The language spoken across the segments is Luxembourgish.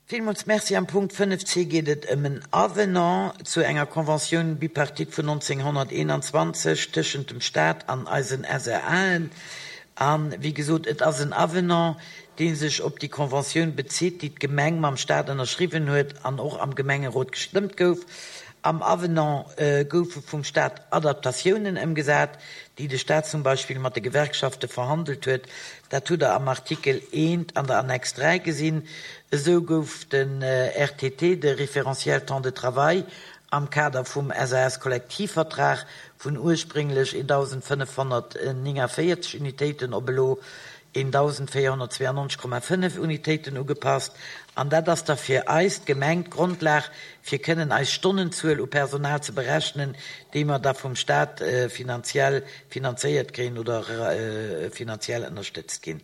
Villmools Merci. Am Punkt 5 c geet et ëm en Avenant zu enger Conventioun bipartite vun 1921 tëschent dem Stat an eisen SRAen. A wéi gesot, et ass en Avenant, dee sech op déi Conventioun bezitt, déi d'Gemeng mam Stat ënnerschriwwen huet an och am Gemengerot gestëmmt gouf. Am Avenant goufe vum Stat Adaptatiounen ëmgesat, déi de Stat zum Beispill mat de Gewerkschafte verhandelt huet. Dat hutt Der am Artikel eent an der Annex 3 gesinn. Esou gouf den RTT, de Référentiel temps de travail, am Kader vum SAS-Kollektivvertrag vun ursprénglech 1.549 Unitéiten op elo 1.492,5 Unitéiten ugepasst. An dat ass da fir eis, d'Gemeng, d'Grondlag, fir kënnen eis Stonnenzuel u Personal ze berechnen, déi mer da vum Stat finanziell finanzéiert kréien oder finanziell ënnerstëtzt ginn.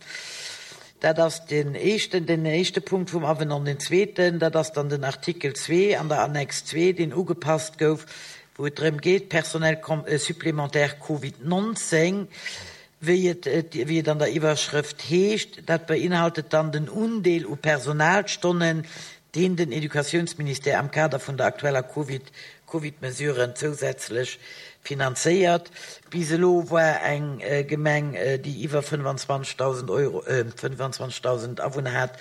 Dat ass deen éischten, den éischte Punkt vum Avenant. Den zweeten, dat ass dann den Artikel 2 an der Annex 2, deen ugepasst gouf, wou et drëm geet, Personnel supplémentaire Covid 19, wéi et, wéi et an der Iwwerschrëft heescht, dat beinhaltet dann den Undeel u Personalstonnen, deen den Educatiounsministère am Kader vun der aktueller Covid, Covid-Mesuren zousätzlech finanzéiert. Bis elo war eng Gemeng, déi iwwer 25.000 Euro, 25.000 Awunner hat,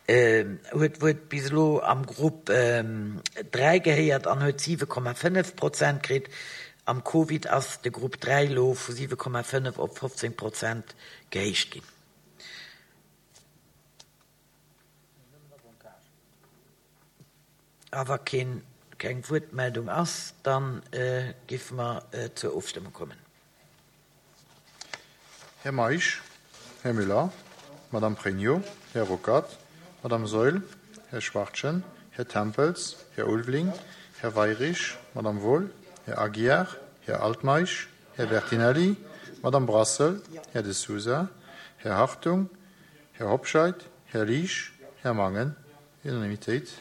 huet huet bis elo am Grupp 3 gehéiert an huet 7,5 Prozent kritt. Am Covid ass de Grupp 3 elo vu 7,5 op 15 Prozent gehéicht ginn. A wa keen, keng Wuertmeldung ass, da géife mer zur Ofstëmmung kommen. Här Meisch, Här Müller, Madame Pregno, Här Ruckert, Madame Saeul, Här Schwachtgen, Här Tempels, Här Ulveling, Här Weyrich, Madame Wohl, Här Aguiar, Här Altmeisch, Här Bertinelli, Madame Brassel, Här De Sousa, Här Hartung, Här Hobscheit, Här Liesch, Här Mangen. Unanimitéit.